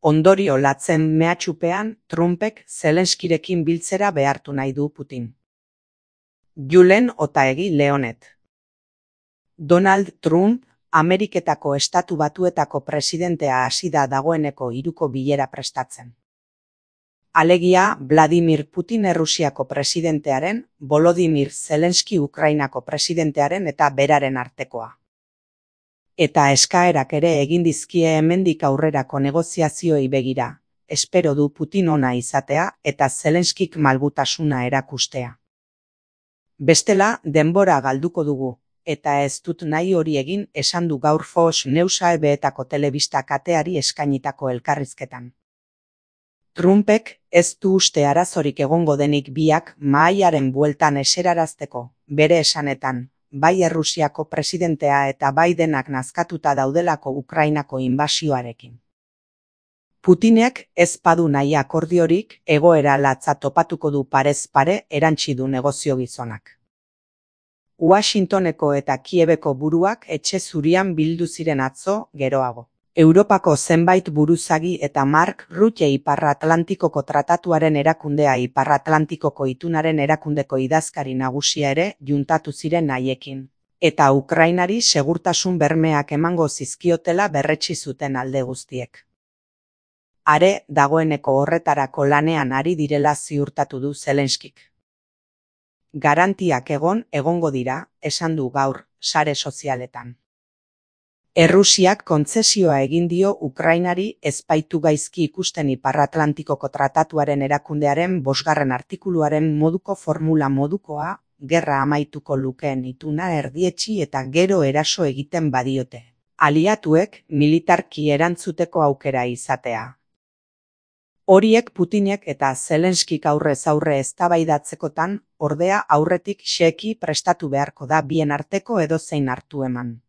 Ondorio latzen mehatxupean, Trumpek Zelenskirekin biltzera behartu nahi du Putin. Julen Otaegi Leonet. Donald Trump, Ameriketako Estatu Batuetako presidentea hasi da dagoeneko hiruko bilera prestatzen. Alegia, Vladimir Putin Errusiako presidentearen, Volodymyr Zelenski Ukrainako presidentearen eta beraren artekoa. Eta eskaerak ere egin dizkie hemendik aurrerako negoziazioei begira, espero du Putin ona izatea eta Zelenskik malgutasuna erakustea. Bestela, denbora galduko dugu, eta ez dut nahi hori egin esan du gaur Fox News ABetako telebista kateari eskainitako elkarrizketan. Trumpek ez du uste arazorik egongo denik biak mahaiaren bueltan eserarazteko, bere esanetan, bai Errusiako presidentea eta Bidenak nazkatuta daudelako Ukrainako inbasioarekin. Putinek ez badu nahi akordiorik, egoera latza topatuko du parez pare erantsi du negozio gizonak. Washingtoneko eta Kiebeko buruak etxe zurian bildu ziren atzo, geroago. Europako zenbait buruzagi eta Mark Rutte Ipar-Atlantikoko Tratatuaren erakundea Ipar-Atlantikoko itunaren erakundeko idazkari nagusia ere juntatu ziren haiekin, eta Ukrainari segurtasun bermeak emango zizkiotela berretsi zuten alde guztiek. Are, dagoeneko horretarako lanean ari direla ziurtatu du Zelenskik. Garantiak egongo dira, esan du gaur, sare sozialetan. Errusiak kontzesioa egin dio Ukrainari ez baitu gaizki ikusten Ipar-Atlantikoko Tratatuaren erakundearen 5. artikuluaren moduko formula modukoa, gerra amaituko lukeen ituna erdietsi eta gero eraso egiten badiote. Aliatuek militarki erantzuteko aukera izatea. Horiek Putinek eta Zelenskik aurrez aurre eztabaidatzekotan, ordea aurretik xeki prestatu beharko da bien arteko edozein hartu eman.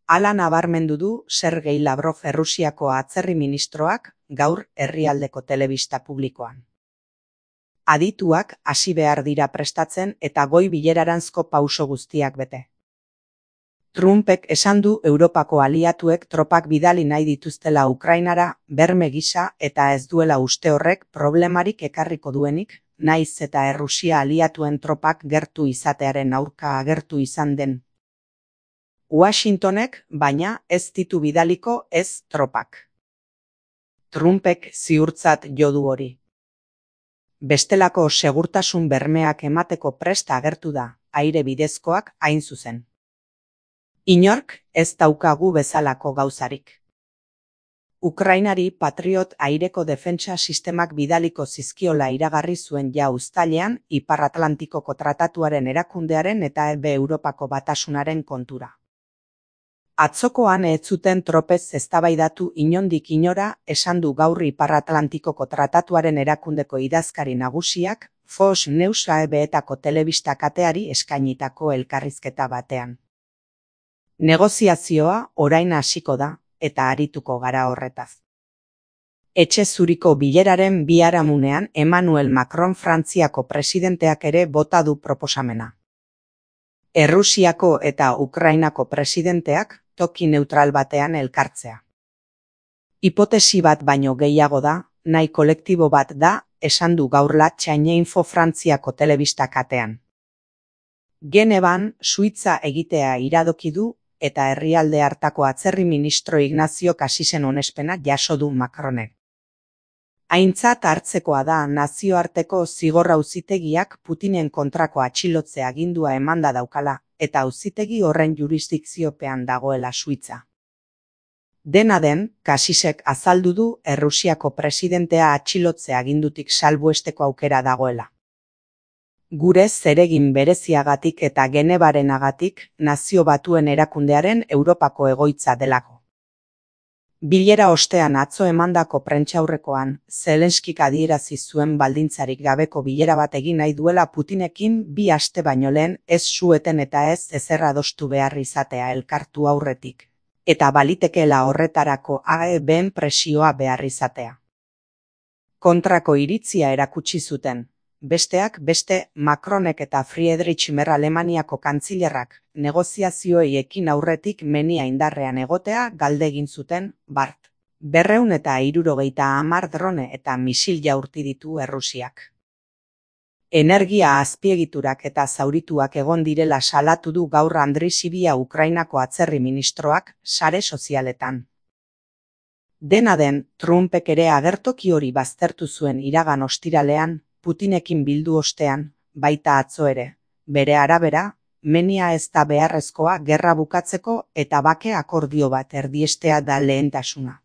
Hala nabarmendu du Sergei Lavrov Errusiako atzerri ministroak gaur herrialdeko telebista publikoan. Adituak hasi behar dira prestatzen eta goi bileraranzko pauso guztiak bete. Trumpek esan du Europako aliatuek tropak bidali nahi dituztela Ukrainara, berme gisa eta ez duela uste horrek problemarik ekarriko duenik, naiz eta Errusia aliatuen tropak gertu izatearen aurka agertu izan den. Washingtonek, baina, ez ditu bidaliko ez tropak. Trumpek ziurtzat jo du hori. Bestelako segurtasun bermeak emateko prest agertu da, aire bidezkoak hain zuzen. Inork ez daukagu bezalako gauzarik. Ukrainari Patriot aireko defentsa sistemak bidaliko zizkiola iragarri zuen ja uztailean Ipar-Atlantikoko Tratatuaren erakundearen eta Europako Batasunaren kontura. Atzokoan ez zuten tropez eztabaidatu inondik inora esan du gaur Ipar-Atlantikoko Tratatuaren erakundeko idazkari nagusiak Fox News ABetako telebista kateari eskainitako elkarrizketa batean. Negoziazioa orain hasiko da eta arituko gara horretaz. Etxe zuriko bileraren biharamunean Emmanuel Macron Frantziako presidenteak ere bota du proposamena. Errusiako eta Ukrainako presidenteak toki neutral batean elkartzea. Hipotesi bat baino gehiago da, nahi kolektibo bat da, esan du gaurla Chaineinfo Frantziako telebista katean. Genevan, Suitza egitea iradoki du, eta herrialde hartako atzerri ministro Ignacio Casisen onespena jaso du Macronek. Aintzat hartzekoa da nazioarteko zigor auzitegiak Putinen kontrako atxilotze agindua emanda daukala, eta auzitegi horren jurisdikziopean dagoela Suitza. Dena den, Casisek azaldu du Errusiako presidentea atxilotze agindutik salbuesteko aukera dagoela. Gure zeregin bereziagatik eta Genevarenagatik Nazio Batuen erakundearen Europako egoitza delako. Bilera ostean atzo emandako prentsaurrekoan, Zelenskik adierazi zuen baldintzarik gabeko bilera bat egin nahi duela Putinekin 2 aste baino lehen ez sueten eta ez ezer adostu behar izatea elkartu aurretik, eta balitekeela horretarako AEBen presioa behar izatea. Kontrako iritzia erakutsi zuten. Besteak beste, Macronek eta Friedrich Merz Alemaniako kantzilerrak negoziazioei ekin aurretik menia indarrean egotea galde egin zuten, bart. 270 drone eta misil jaurti ditu Errusiak. Energia azpiegiturak eta zaurituak egon direla salatu du gaur Andriy Sybiha Ukrainako atzerri ministroak sare sozialetan. Dena den, Trumpek ere agertoki hori baztertu zuen iragan ostiralean, Putinekin bildu ostean, baita atzo ere. Bere arabera, menia ez da beharrezkoa gerra bukatzeko eta bake akordio bat erdiestea da lehentasuna.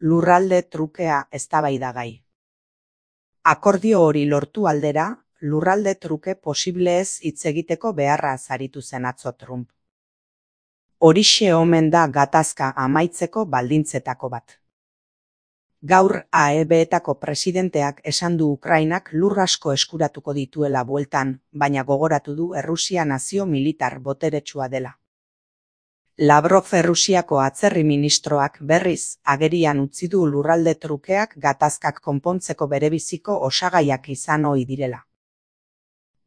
Lurralde trukea eztabaidagai. Akordio hori lortu aldera, lurralde truke posible ez hitz egiteko beharra aritu zen atzo Trump. Horixe omen da gatazka amaitzeko baldintzetako bat. Gaur AEB-etako presidenteak esan du Ukrainak lur asko eskuratuko dituela bueltan, baina gogoratu du Errusia nazio militar boteretsua dela. Lavrov Errusiako atzerri ministroak berriz agerian utzi du lurralde trukeak gatazkak konpontzeko berebiziko osagaiak izan ohi direla.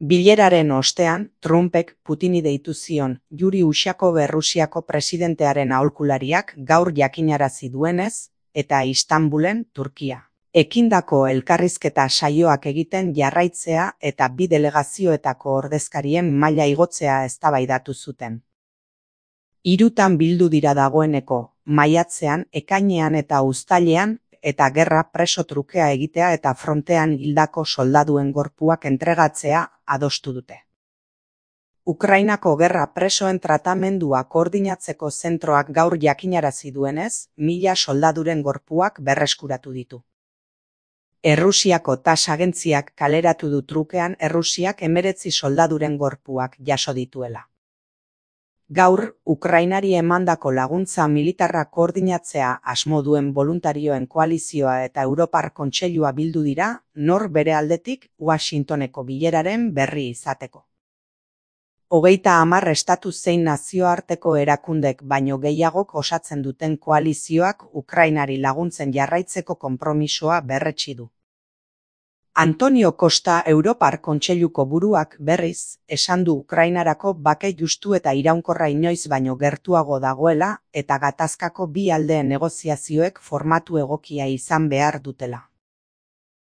Bileraren ostean, Trumpek Putini deitu zion Yuri Ushakov Errusiako presidentearen aholkulariak gaur jakinarazi duenez, eta Istanbulen, Turkia. Ekindako elkarrizketa saioak egiten jarraitzea eta bi delegazioetako ordezkarien maila igotzea eztabaidatu zuten. Hirutan bildu dira dagoeneko, maiatzean, ekainean eta uztailean, eta gerra preso trukea egitea eta frontean hildako soldaduen gorpuak entregatzea adostu dute. Ukrainako gerra presoen tratamendua koordinatzeko zentroak gaur jakinarazi duenez, 1000 soldaduren gorpuak berreskuratu ditu. Errusiako TASS agentziak kaleratu du trukean Errusiak 19 soldaduren gorpuak jaso dituela. Gaur, Ukrainari emandako laguntza militarra koordinatzea asmo duen boluntarioen koalizioa eta Europar Kontseilua bildu dira, nor bere aldetik Washingtoneko bileraren berri izateko. 30 estatu zein nazioarteko erakundek baino gehiagok osatzen duten koalizioak Ukrainari laguntzen jarraitzeko konpromisoa berretsi du. Antonio Costa Europar Kontseiluko buruak berriz, esan du Ukrainarako bake justu eta iraunkorra inoiz baino gertuago dagoela eta gatazkako bi aldeen negoziazioek formatu egokia izan behar dutela.